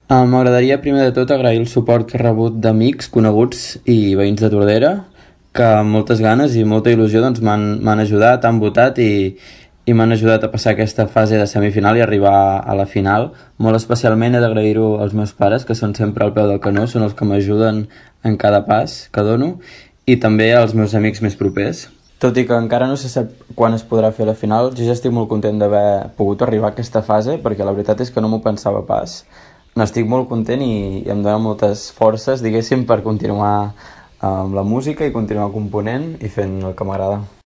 M'agradaria primer de tot agrair el suport que he rebut d'amics, coneguts i veïns de Tordera, que amb moltes ganes i molta il·lusió doncs, m'han ajudat, han votat i m'han ajudat a passar aquesta fase de semifinal i arribar a la final. Molt especialment he d'agrair-ho als meus pares, que són sempre al peu del canó, són els que m'ajuden en cada pas que dono, i també als meus amics més propers. Tot i que encara no se sap quan es podrà fer la final, jo ja estic molt content d'haver pogut arribar a aquesta fase, perquè la veritat és que no m'ho pensava pas. N'estic molt content i em dona moltes forces, diguéssim, per continuar amb la música i continuar component i fent el que m'agrada.